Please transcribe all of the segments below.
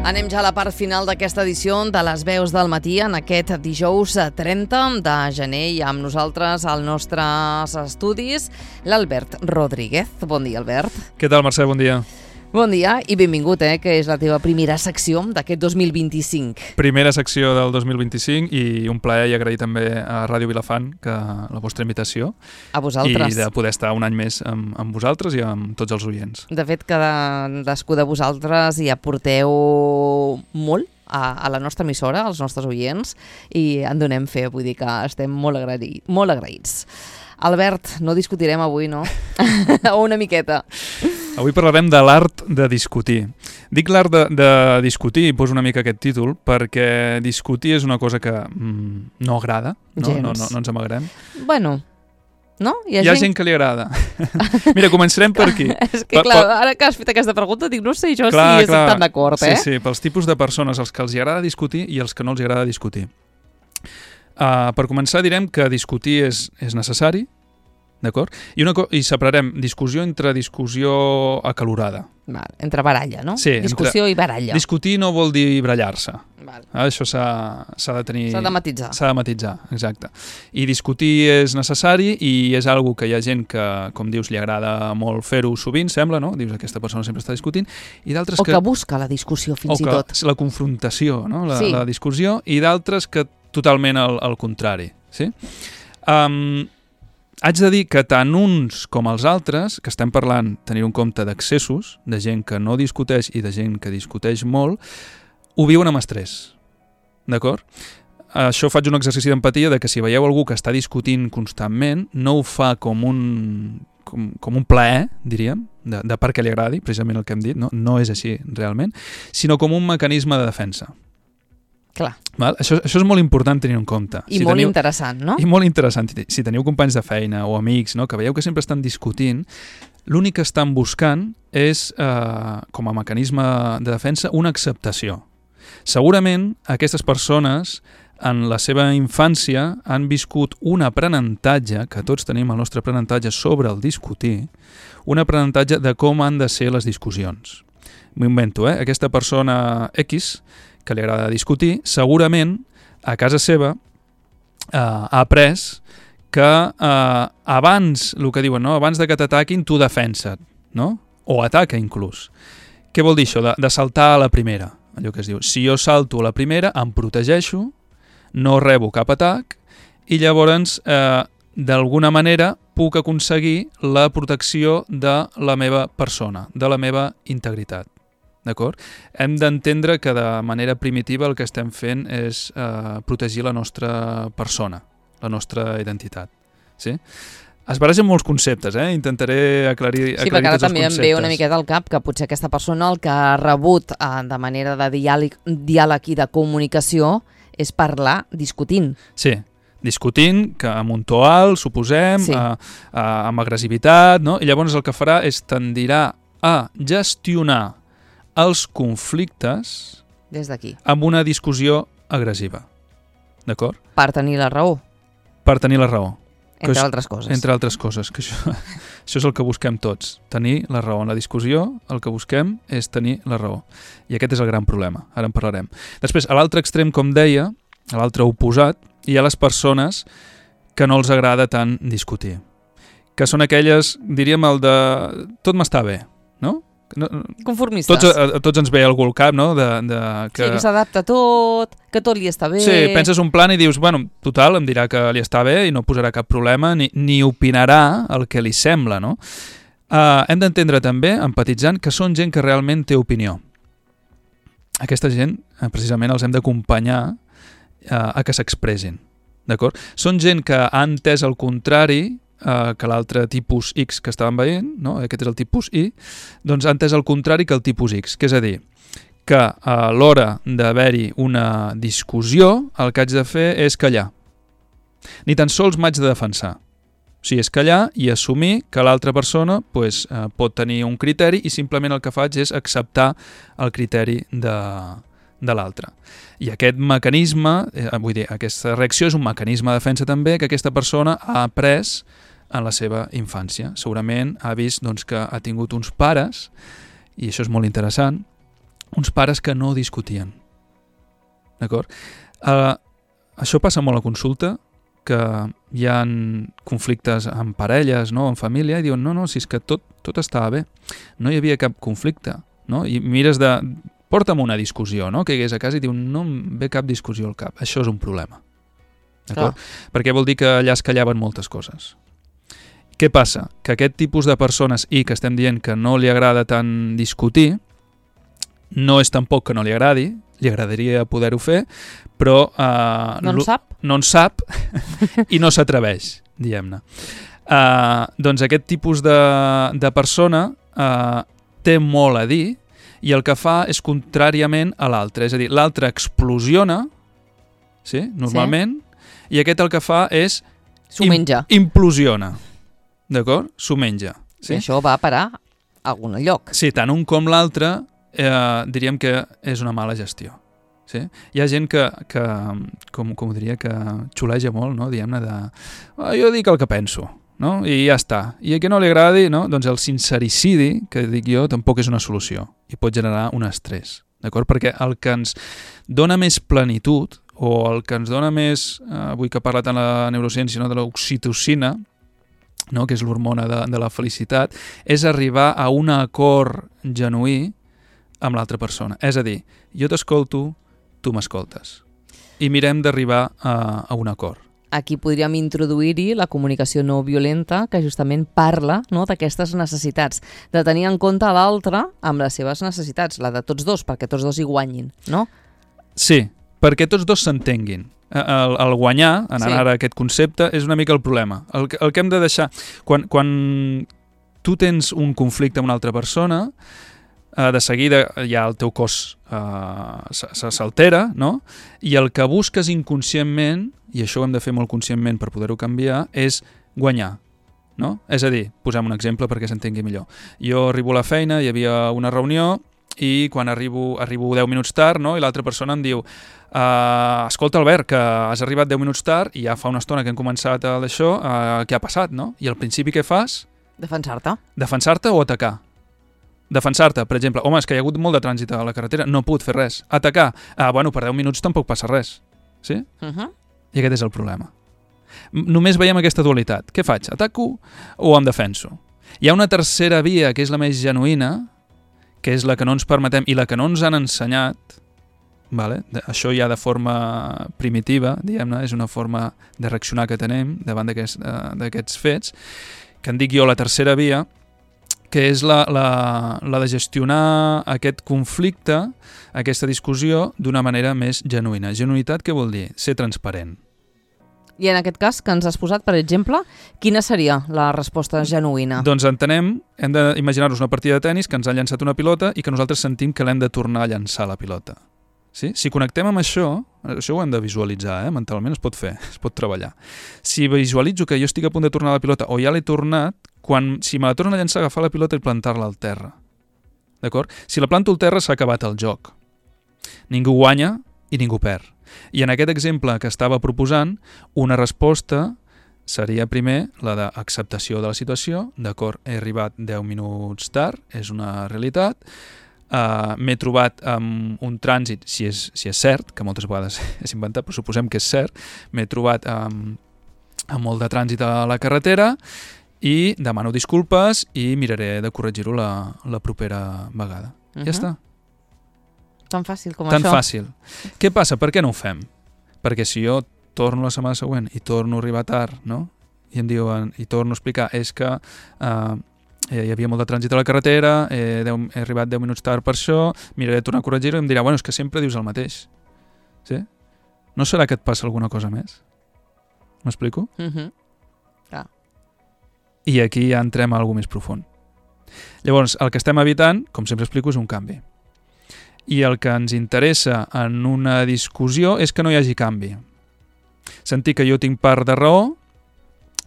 Anem ja a la part final d'aquesta edició de les veus del matí en aquest dijous 30 de gener i amb nosaltres als nostres estudis l'Albert Rodríguez. Bon dia, Albert. Què tal, Mercè? Bon dia. Bon dia i benvingut, que és la teva primera secció d'aquest 2025. Primera secció del 2025 i un plaer i agrair també a Ràdio Vilafant que la vostra invitació. A vosaltres. I de poder estar un any més amb vosaltres i amb tots els oients. De fet, cadascú de vosaltres hi aporteu molt a la nostra emissora, als nostres oients, i en donem fe, vull dir que estem molt agraïts. Albert, no discutirem avui, no? Una miqueta. Avui parlarem de l'art de discutir. Dic l'art de discutir i poso una mica aquest títol perquè discutir és una cosa que no agrada, no ens amagarem. Bueno, no? Hi ha gent que li agrada. Mira, començarem per aquí. És que clar, ara que has fet aquesta pregunta dic, no sé jo si estic tan d'acord, Sí, pels tipus de persones, els que els agrada discutir i els que no els agrada discutir. Per començar direm que discutir és necessari, d'acord? I separarem discussió entre discussió acalorada. Entre baralla, no? Sí. Discussió i baralla. Discutir no vol dir barallar-se. Això s'ha de tenir... S'ha de matisar. S'ha de matisar, exacte. I discutir és necessari i és algo que hi ha gent que, com dius, li agrada molt fer-ho sovint, sembla, no? Dius, aquesta persona sempre està discutint. I d'altres que busca la discussió, fins i tot. La confrontació, no? La discussió, i d'altres que totalment al contrari. Sí? Haig de dir que tant uns com els altres, que estem parlant, tenir un compte d'accessos, de gent que no discuteix i de gent que discuteix molt, ho viuen amb estrès, d'acord? Això faig un exercici d'empatia de que si veieu algú que està discutint constantment, no ho fa com un plaer, diríem, de perquè li agradi, precisament el que hem dit, no és així realment, sinó com un mecanisme de defensa. Clar. Val? Això és molt important tenir en compte. I molt interessant, no? I molt interessant. Si teniu companys de feina o amics, no, que veieu que sempre estan discutint, l'únic que estan buscant és, com a mecanisme de defensa, una acceptació. Segurament aquestes persones en la seva infància han viscut un aprenentatge, que tots tenim el nostre aprenentatge sobre el discutir, un aprenentatge de com han de ser les discussions. M'ho invento, aquesta persona X que li agrada discutir, segurament a casa seva ha après que abans, el que diuen, no? Abans de que t'ataquin, tu defensa't, no? O ataca inclús. Què vol dir això? De saltar a la primera. Allò que es diu, si jo salto a la primera, em protegeixo, no rebo cap atac i llavors, d'alguna manera, puc aconseguir la protecció de la meva persona, de la meva integritat. D'acord? Hem d'entendre que de manera primitiva el que estem fent és protegir la nostra persona, la nostra identitat. Sí? Es barregen molts conceptes, intentaré aclarir tots els conceptes. Sí, perquè ara també em ve una miqueta al cap que potser aquesta persona el que ha rebut de manera de diàleg i de comunicació és parlar discutint. Sí, discutint, que amb un to alt, suposem, sí. Amb agressivitat, no? I llavors el que farà és tendirà a gestionar els conflictes des d'aquí amb una discussió agressiva. D'acord? Per tenir la raó. Per tenir la raó. Entre altres coses. Entre altres coses, que això és el que busquem tots, tenir la raó. En la discussió el que busquem és tenir la raó. I aquest és el gran problema, ara en parlarem. Després, a l'altre extrem, com deia, a l'altre oposat, hi ha les persones que no els agrada tant discutir. Que són aquelles, diríem, el de tot m'està bé, no? Conformistes. Tots ens ve algú al cap, no? Que s'adapta a tot, que tot li està bé. Sí, penses un plan i dius, bueno, total, em dirà que li està bé i no posarà cap problema ni opinarà el que li sembla, no? Hem d'entendre també, empatitzant, que són gent que realment té opinió. Aquesta gent, precisament, els hem d'acompanyar a que s'expressin, d'acord? Són gent que ha entès el contrari que l'altre tipus X que estàvem veient, no? Aquest és el tipus Y, doncs ha entès el contrari que el tipus X, que és a dir, que a l'hora d'haver-hi una discussió el que haig de fer és callar. Ni tan sols m'haig de defensar. O sigui, és callar i assumir que l'altra persona pot tenir un criteri i simplement el que faig és acceptar el criteri de l'altre. I aquest mecanisme, aquesta reacció és un mecanisme de defensa també que aquesta persona ha après en la seva infància. Segurament ha vist que ha tingut uns pares, i això és molt interessant, uns pares que no discutien. D'acord? Això passa molt a consulta, que hi ha conflictes amb parelles, no?, en família, i diuen, no, si és que tot estava bé, no hi havia cap conflicte, no? I mires porta'm una discussió, no?, que hagués a casa i diu, no em ve cap discussió al cap. Això és un problema. D'acord? Perquè vol dir que allà es callaven moltes coses. Què passa? Que aquest tipus de persones, i que estem dient que no li agrada tant discutir, no és tampoc que no li agradi, li agradaria poder-ho fer, però no en sap i no s'atreveix, diguem-ne. Doncs aquest tipus de persona té molt a dir i el que fa és contràriament a l'altre. És a dir, l'altre explosiona, sí, normalment, i aquest el que fa és s'ho menja. Implosiona. D'acord? S'ho menja. Sí? I això va a parar a algun lloc. Sí, tant un com l'altre diríem que és una mala gestió. Sí? Hi ha gent que com ho diria, que xuleja molt, no? Diguem-ne jo dic el que penso, no? I ja està. I a qui no li agradi, no? Doncs el sincericidi, que dic jo, tampoc és una solució i pot generar un estrès, d'acord? Perquè el que ens dona més plenitud o el que ens dona més, avui que parla tant la neurociència, no? De l'oxitocina, no? Que és l'hormona de la felicitat, és arribar a un acord genuí amb l'altra persona. És a dir, jo t'escolto, tu m'escoltes. I mirem d'arribar a un acord. Aquí podríem introduir-hi la comunicació no violenta, que justament parla, no?, d'aquestes necessitats, de tenir en compte l'altre amb les seves necessitats, la de tots dos, perquè tots dos hi guanyin, no? Sí, perquè tots dos s'entenguin. El guanyar, anant ara a aquest concepte, és una mica el problema. El que hem de deixar... Quan tu tens un conflicte amb una altra persona, de seguida ja el teu cos s'altera, no? I el que busques inconscientment, i això ho hem de fer molt conscientment per poder-ho canviar, és guanyar, no? És a dir, posem un exemple perquè s'entengui millor. Jo arribo a la feina, hi havia una reunió, i quan arribo 10 minuts tard, no? I l'altra persona em diu escolta, Albert, que has arribat 10 minuts tard i ja fa una estona que hem començat això, què ha passat, no? I al principi què fas? Defensar-te. Defensar-te o atacar? Defensar-te, per exemple, home, és que hi ha hagut molt de trànsit a la carretera, no he pogut fer res. Atacar, bueno, per 10 minuts tampoc passa res. Sí? I aquest és el problema. Només veiem aquesta dualitat. Què faig? Ataco o em defenso? Hi ha una tercera via, que és la més genuïna, que és la que no ens permetem i la que no ens han ensenyat, vale? Això ja de forma primitiva, diguem-ne, és una forma de reaccionar que tenem davant d'aquests fets, que en dic jo la tercera via, que és la de gestionar aquest conflicte, aquesta discussió, d'una manera més genuïna. Genuïtat què vol dir? Ser transparent. I en aquest cas que ens has posat, per exemple, quina seria la resposta genuïna? Doncs entenem, hem d'imaginar-nos una partida de tennis que ens ha llançat una pilota i que nosaltres sentim que l'hem de tornar a llançar la pilota. Sí? Si connectem amb això ho hem de visualitzar, mentalment es pot fer, es pot treballar. Si visualitzo que jo estic a punt de tornar la pilota o ja l'he tornat, si me la tornen a llançar, agafar la pilota i plantar-la al terra. D'acord? Si la planto al terra s'ha acabat el joc. Ningú guanya i ningú perd. I en aquest exemple que estava proposant, una resposta seria primer la d'acceptació de la situació. D'acord, he arribat 10 minuts tard, és una realitat. M'he trobat amb un trànsit, si és cert, que moltes vegades és inventat, però suposem que és cert, m'he trobat amb molt de trànsit a la carretera i demano disculpes i miraré de corregir-ho la propera vegada. Ja està. Tan fàcil com això. Tan fàcil. Què passa? Per què no ho fem? Perquè si jo torno la setmana següent i torno a arribar tard, no? I em diuen, i torno a explicar, és que hi havia molt de trànsit a la carretera, he arribat 10 minuts tard per això, miraré de tornar a corregir-ho i em dirà, bueno, és que sempre dius el mateix. Sí? No serà que et passa alguna cosa més? M'explico? Clar. I aquí ja entrem a alguna més profund. Llavors, el que estem evitant, com sempre explico, és un canvi. I el que ens interessa en una discussió és que no hi hagi canvi. Sentir que jo tinc part de raó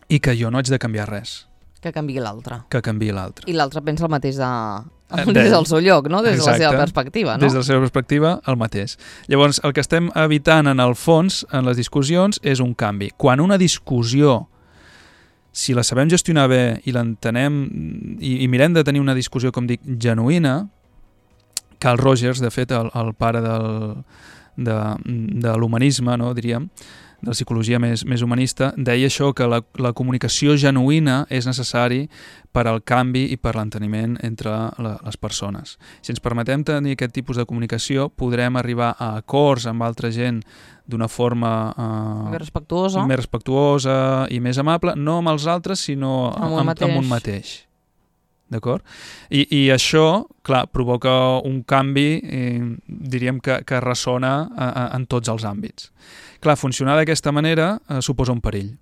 i que jo no haig de canviar res. Que canviï l'altre. Que canviï l'altre. I l'altre pensa el mateix des del seu lloc, no? Des de la seva perspectiva, no? Des de la seva perspectiva, el mateix. Llavors, el que estem evitant en el fons, en les discussions, és un canvi. Quan una discussió, si la sabem gestionar bé i l'entenem i mirem de tenir una discussió, com dic, genuïna, Carl Rogers, de fet, el pare de l'humanisme, no, diríem, de la psicologia més humanista, deia això, que la comunicació genuïna és necessari per al canvi i per l'enteniment entre les persones. Si ens permetem tenir aquest tipus de comunicació, podrem arribar a acords amb altra gent d'una forma més respectuosa i més amable, no amb els altres, sinó amb un mateix. D'acord? I això, clar, provoca un canvi, diríem que ressona en tots els àmbits. Clar, funcionar d'aquesta manera suposa un perill.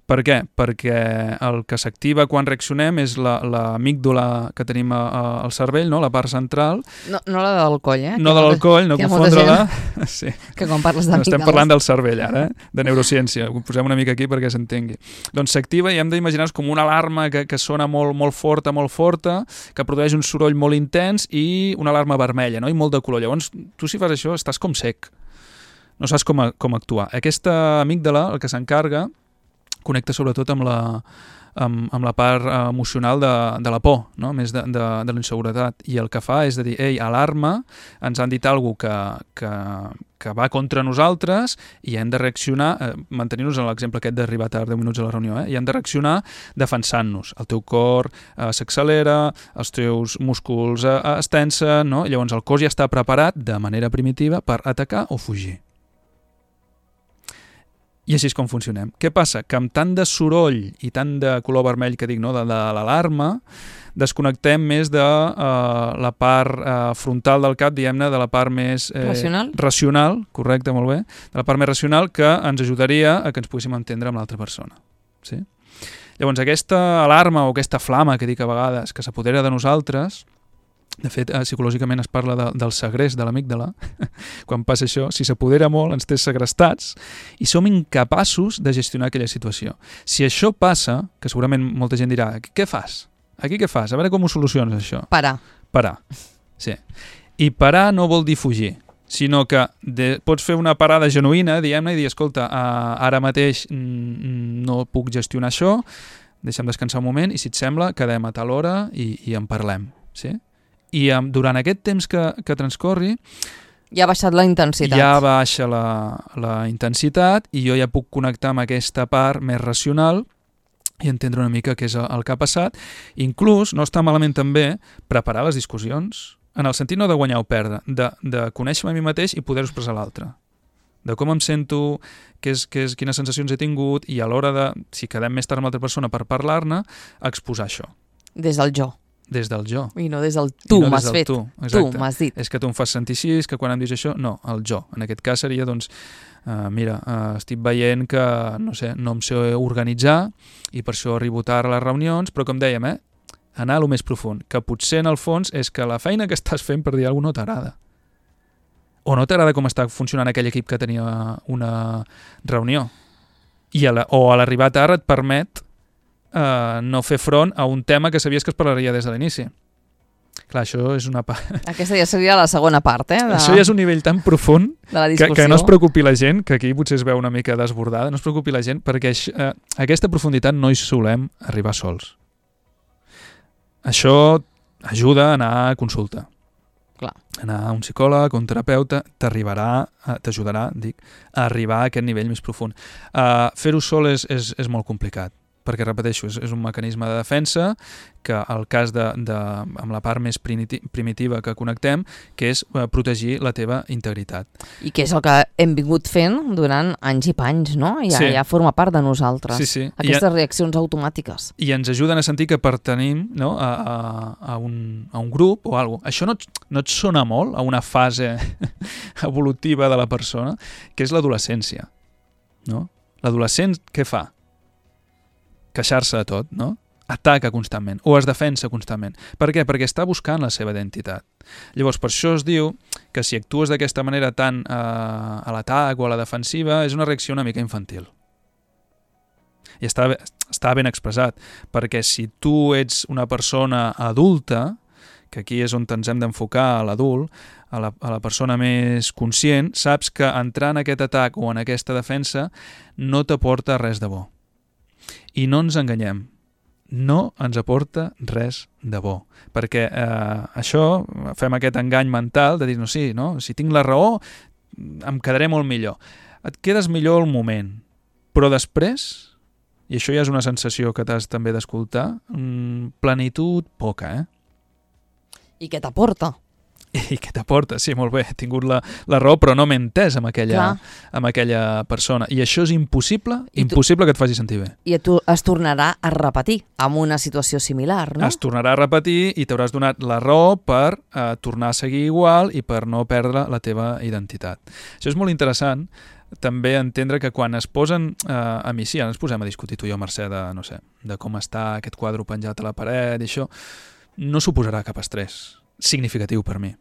Per què? Perquè el que s'activa quan reaccionem és l'amígdala que tenim al cervell, no? La part central. No la del coll, No de l'alcoll, no confondre-la. Sí. Que quan parles d'amígdales... Estem parlant del cervell ara, de neurociència. Ho posem una mica aquí perquè s'entengui. Doncs s'activa i hem d'imaginar-nos com una alarma que sona molt forta, que produeix un soroll molt intens i una alarma vermella, no? I molt de color. Llavors, tu si fas això estàs com sec. No saps com actuar. Aquesta amígdala, el que s'encarga, connecta sobretot amb la part emocional de la por, no? Més de la inseguretat. I el que fa és de dir, ei, alarma, ens han dit alguna cosa que va contra nosaltres i hem de reaccionar, mantenir-nos en l'exemple aquest d'arribar tard 10 minuts a la reunió, i hem de reaccionar defensant-nos. El teu cor s'accelera, els teus músculs es tensen, no? Llavors el cos ja està preparat de manera primitiva per atacar o fugir. I així és com funcionem. Què passa? Que amb tant de soroll i tant de color vermell que dic, no, de l'alarma, desconnectem més de la part frontal del cap, diguem-ne, de la part més... racional, correcte, molt bé, de la part més racional que ens ajudaria a que ens poguéssim entendre amb l'altra persona. Sí? Llavors, aquesta alarma o aquesta flama que dic a vegades que s'apodera de nosaltres, de fet, psicològicament es parla del segrest de l'amígdala. Quan passa això, si s'apodera molt, ens té segrestats i som incapaços de gestionar aquella situació. Si això passa, que segurament molta gent dirà, què fas? Aquí què fas? A veure com ho soluciones, això. Parar. Sí. I parar no vol dir fugir, sinó que pots fer una parada genuïna, diguem-ne, i dir, escolta, ara mateix no puc gestionar això, deixa'm descansar un moment i, si et sembla, quedem a tal hora i en parlem. Sí? I durant aquest temps que transcorri ja ha baixat la intensitat. Ja baixa la intensitat i jo ja puc connectar amb aquesta part més racional i entendre una mica què és el que ha passat. Inclús no està malament també preparar les discussions, en el sentit no de guanyar o perdre, de conèixer-me a mi mateix i poder-ho expressar a l'altre. De com em sento, quines sensacions he tingut i a l'hora de, si quedem més tard amb l'altra persona per parlar-ne, exposar això. Des del jo. Des del jo. I no des del tu m'has fet. Tu m'has dit. És que tu em fas sentir així, és que quan em dius això, no, el jo. En aquest cas seria, doncs, mira, estic veient que, no sé, no em sé organitzar i per això arribo tard a les reunions, però com dèiem, anar a lo més profund, que potser en el fons és que la feina que estàs fent, per dir alguna cosa, no t'agrada. O no t'agrada com està funcionant aquell equip que tenia una reunió. O a l'arribar tard et permet no fer front a un tema que sabies que es parlaria des de l'inici. Clar, això és una part... Aquesta ja seria la segona part, Això ja és un nivell tan profund que no es preocupi la gent, que aquí potser es veu una mica desbordada, no es preocupi la gent, perquè aquesta profunditat no hi solem arribar sols. Això ajuda a anar a consulta. Clar. Anar a un psicòleg, un terapeuta, t'ajudarà, a arribar a aquest nivell més profund. Fer-ho sol és molt complicat, perquè, repeteixo, és un mecanisme de defensa que el cas amb la part més primitiva que connectem, que és protegir la teva integritat. I que és el que hem vingut fent durant anys i panys, no? Ja forma part de nosaltres. Sí. Aquestes reaccions automàtiques. I ens ajuden a sentir que pertenim, no, a un grup o alguna cosa. Això no et sona molt a una fase evolutiva de la persona, que és l'adolescència, no? L'adolescent què fa? Queixar-se de tot, no? Ataca constantment, o es defensa constantment. Per què? Perquè està buscant la seva identitat. Llavors, per això es diu que si actues d'aquesta manera tan a l'atac o a la defensiva, és una reacció una mica infantil. I està ben expressat, perquè si tu ets una persona adulta, que aquí és on ens hem d'enfocar a l'adult, a la persona més conscient, saps que entrar en aquest atac o en aquesta defensa no t'aporta res de bo. I no ens enganyem. no ens aporta res de bo. Perquè això, fem aquest engany mental de dir, no, sí, no? Si tinc la raó, em quedaré molt millor. Et quedes millor al moment, però després, i això ja és una sensació que t'has també d'escoltar, plenitud poca, I què t'aporta? I què t'aporta? Sí, molt bé, he tingut la raó, però no m'he entès amb aquella persona. I això és impossible que et faci sentir bé. I tu es tornarà a repetir amb una situació similar, no? Es tornarà a repetir i t'hauràs donat la raó per tornar a seguir igual i per no perdre la teva identitat. Això és molt interessant, també entendre que quan es posen a mi, sí, ara ens posem a discutir tu i jo, Mercè, de com està aquest quadre penjat a la paret i això, no suposarà cap estrès significatiu per mi.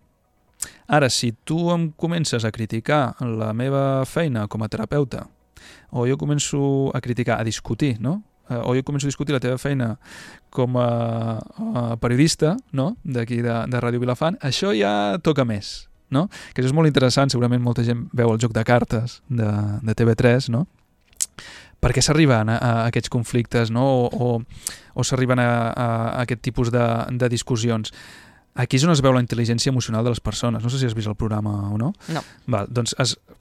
Ara, si tu em comences a criticar la meva feina com a terapeuta, o jo començo a criticar, a discutir, no? O jo començo a discutir la teva feina com a periodista, no? D'aquí de Ràdio Vilafant, això ja toca més, no? Que això és molt interessant, segurament molta gent veu el joc de cartes de TV3, no? Per què s'arriben a aquests conflictes, no? O s'arriben a aquest tipus de discussions? Aquí és on es veu la intel·ligència emocional de les persones. No sé si has vist el programa o no. No. Val, doncs,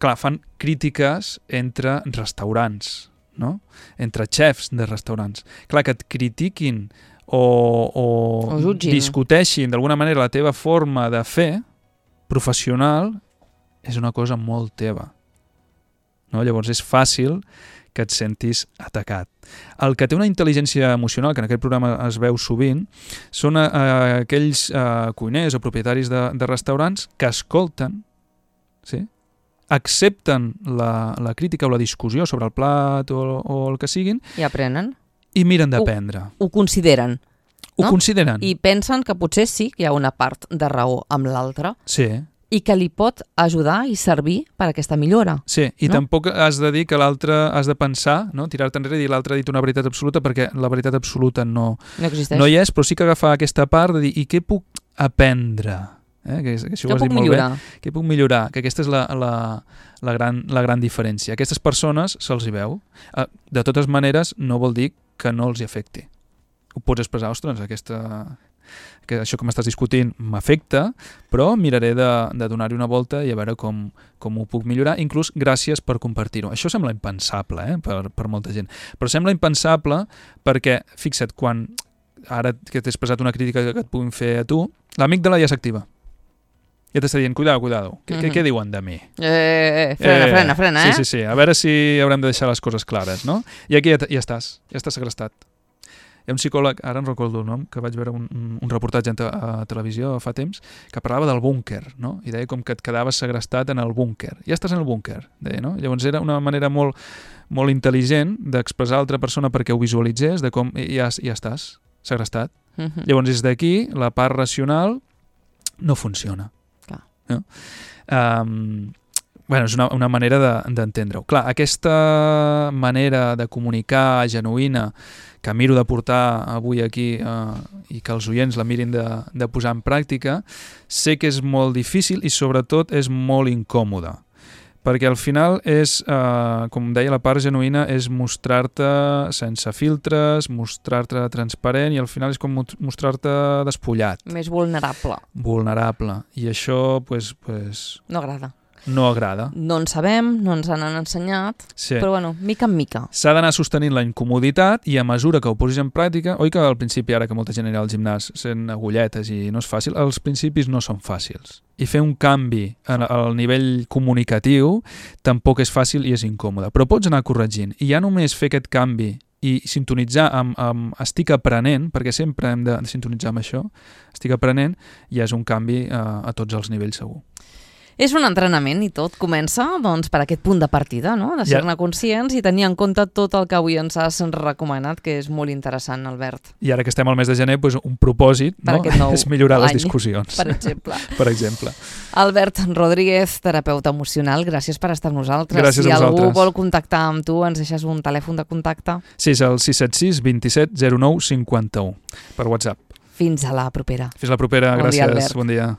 clar, fan crítiques entre restaurants, no? Entre xefs de restaurants. Clar, que et critiquin o discuteixin d'alguna manera la teva forma de fer professional és una cosa molt teva. No? Llavors és fàcil que et sentis atacat. El que té una intel·ligència emocional, que en aquest programa es veu sovint, són aquells cuiners o propietaris de restaurants que escolten, sí? Accepten la crítica o la discussió sobre el plat o el que siguin i aprenen. I miren d'aprendre. Ho consideren. Ho consideren. I pensen que potser sí que hi ha una part de raó amb l'altra. Sí. I que li pot ajudar i servir per aquesta millora. Sí, i tampoc has de dir que l'altre has de pensar, no? Tirar-te enrere i dir l'altre ha dit una veritat absoluta, perquè la veritat absoluta no existeix. No hi és, però sí que agafar aquesta part de dir i què puc aprendre? Que què puc millorar? Què puc millorar? Que aquesta és la gran diferència. Aquestes persones se'ls hi veu. De totes maneres, no vol dir que no els hi afecti. Ho pots expressar, ostres, que això que m'estàs discutint m'afecta, però miraré de donar-hi una volta i a veure com ho puc millorar, inclús gràcies per compartir-ho. Això sembla impensable per molta gent, però sembla impensable perquè, fixa't, quan ara que t'he expressat una crítica que et puguin fer a tu, l'amígdala ja s'activa. Ja t'està dient, cuidado, què diuen de mi? Frena, Sí, a veure si haurem de deixar les coses clares, no? I aquí ja estàs segrestat. Hi ha un psicòleg, ara en recordo el nom, que vaig veure un reportatge a televisió fa temps, que parlava del búnquer, no? I deia com que et quedaves segrestat en el búnquer. Ja estàs en el búnquer, deia, no? Llavors era una manera molt, molt intel·ligent d'expressar a l'altra persona perquè ho visualitzés, de com ja estàs segrestat. Llavors des d'aquí la part racional no funciona. No? Bueno, és una manera d'entendre-ho. Clar, aquesta manera de comunicar genuïna que miro de portar avui aquí i que els oients la mirin de posar en pràctica, sé que és molt difícil i sobretot és molt incòmode. Perquè al final és, com deia, la part genuïna és mostrar-te sense filtres, mostrar-te transparent i al final és com mostrar-te despullat. Més vulnerable. Vulnerable. I això, pues no agrada. No agrada. No en sabem, no ens han ensenyat, sí. Però bueno, mica en mica. S'ha d'anar sostenint la incomoditat i a mesura que ho posis en pràctica, oi que al principi, ara que molta gent anirà al gimnàs sent agulletes i no és fàcil, els principis no són fàcils. I fer un canvi al nivell comunicatiu tampoc és fàcil i és incòmode, però pots anar corregint. I ja només fer aquest canvi i sintonitzar amb estic aprenent, perquè sempre hem de sintonitzar amb això, estic aprenent, ja és un canvi a tots els nivells segur. És un entrenament i tot comença doncs, per aquest punt de partida, no? De ser-ne conscients i tenir en compte tot el que avui ens has recomanat, que és molt interessant, Albert. I ara que estem al mes de gener, doncs, un propòsit és millorar les discussions. Per exemple. Albert Rodríguez, terapeuta emocional, gràcies per estar amb nosaltres. Gràcies a vosaltres. Si algú vol contactar amb tu, ens deixes un telèfon de contacte? Sí, és el 676 27 09 51 per WhatsApp. Fins a la propera. Fins a la propera, gràcies. Bon dia.